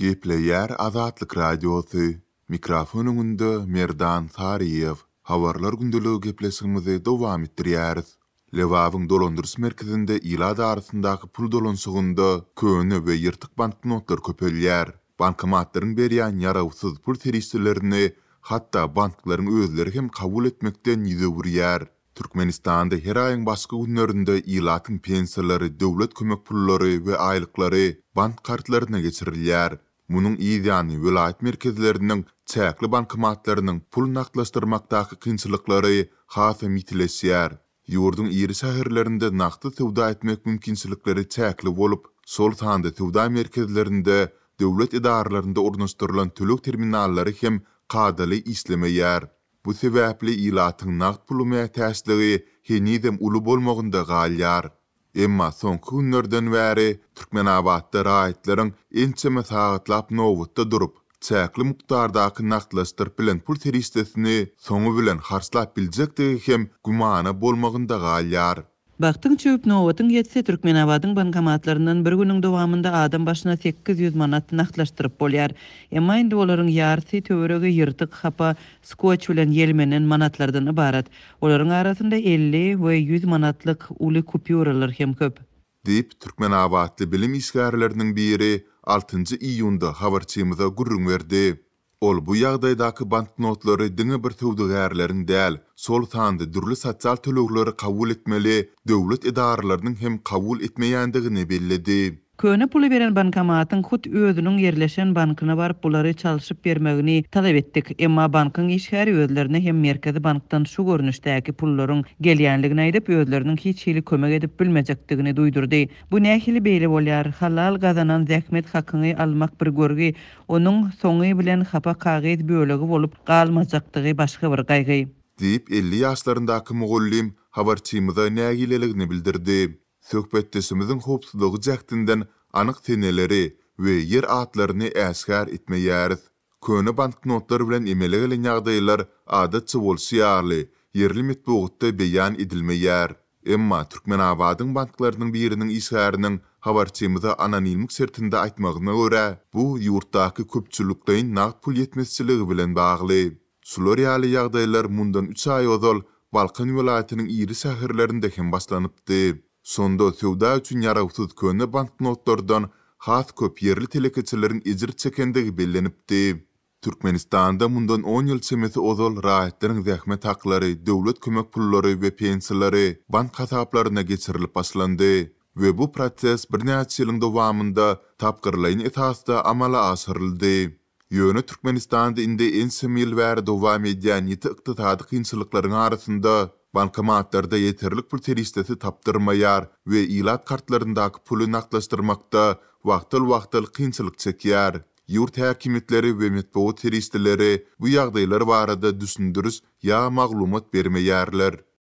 Gepleýär Azatlyk Radiosy, Mikrofon öňünde Merdan Saryýew. Habarlar gündeligi gepleşigimizi dowam etdirýäris. Lebabyň dolandyryş merkezinde ilat arasyndaky pul dolanyşygynda köne we ýyrtyk banknotlar köpelýär. Bankomatlaryň berýän ýarawsyz pul serişdelerini hatda banklaryň özleri hem kabul etmekden ýüz öwürýär. Türkmenistanda her aýyň başky günlerinde ilatyň pensiýalary, döwlet kömek pullary we aýlyklary bank kartlaryna geçirilýär. Munuň yz ýany welaýat merkezleriniň çäkli bankomatlarynyň pul nagtlaşdyrmakdaky kynçylyklary hasam ýitileşýär. Ýurduň iri şäherlerinde nagtsyz söwda etmek mümkinçilikleri çäkli bolup, şol sanda söwda merkezlerinde, döwlet edaralarynda ornaşdyrylan töleg terminallary hem kadaly işlemeýär. Bu sebäpli ilatyň nagt pula mätäçligi henizem uly bolmagynda galýar. Emma soňky günlerden bäri Türkmenabatda raýatlaryň ençeme sagatlap nobatda durup, çäkli mukdardaky nagtlaşdyryp bilen pul serişdesini soňy bilen harçlap biljekdigi hem gümana bolmagynda galýar. Bagtyň çüwüp, nobatyň ýetse, Türkmenabadyň bankomatlaryndan bir günüň dowamynda adam başyna 800 manat nagtlaşdyryp bolýar. Emma indi olaryň ýarysy töweregi ýyrtyk, hapa, skotç bilen ýelmenen manatlardan ybarat. Olaryň arasynda 50 we 100 manatlyk uly kupýuralar hem köp. Diýip, türkmenabatly bilim işgärleriniň biri altynjy iýunda habarçymyza gürrüň berdi. Ol bu ýagdaýdaky banknotlary diňe bir söwdagärleriň däl, şol sanda dürli sosial tölegleri kabul etmeli döwlet edaralarynyň hem kabul etmeýändigini belledi. Köne puly beren bankomatyň hut özüniň ýerleşen bankyna baryp bulary çalşyp bermegini talap etdik. Emma bankyň işgäri özlerine hem Merkezi bankdan şu görnüşdäki pullaryň gelýänligini aýdyp, özleriniň hiç hili kömek edip bilmejekdigini duýdurdy. Bu nähili beýle bolýar? Halal gazanan zähmet hakyňy almak bir görgi, onuň soňy bilen hapa kagyz bölegi bolup galmajakdygy başga bir gaýgy. Diýip, 50 ýaşlaryndaky mugallym habarçymyza nägileligini bildirdi. Söhbetdeşimiziň howpsuzlygy jähtinden anyk seneleri we ýer atlaryny äşgär etmeýäris. Köne banknotlar bilen emele gelen ýagdaýlar, adatça bolşy ýaly, ýerli metbugatda beýan edilmeýär. Emma Türkmenabadyň banklarynyň biriniň işgäriniň habarçymyza anonimlik şertinde aýtmagyna görä, bu ýurtdaky köpçülikleýin nagt pul ýetmezçiligi bilen bagly. Şular ýaly ýagdaýlar mundan üç aý ozal Balkan welaýatynyň iri şäherlerinde hem başlanypdy. Şonda söwda üçin ýarawsyz köne banknotlardan has köp ýerli telekeçileriň ejir çekendigi bellenipdi. Türkmenistanda mundan on ýyl çemesi ozal raýatlaryň zähmet haklary, döwlet kömek pullary we pensiýalary bank hasaplaryna geçirilip başlandy we bu proses birnäçe ýylyň dowamynda tapgyrlaýyn esasda amala aşyryldy. Ýöne Türkmenistanda indi ençeme ýyl bäri dowam edýän ýiti ykdysady kynçylyklaryň arasynda bankomatlarda ýeterlik pul serişdesi tapdyrmaýar we ilat kartlaryndaky puly nagtlaşdyrmakda wagtal-wagtal kynçylyk çekýär. Ýurt häkimiýetleri we metbugat serişdeleri bu ýagdaýlar barada düşündiriş ýa maglumat bermeýärler.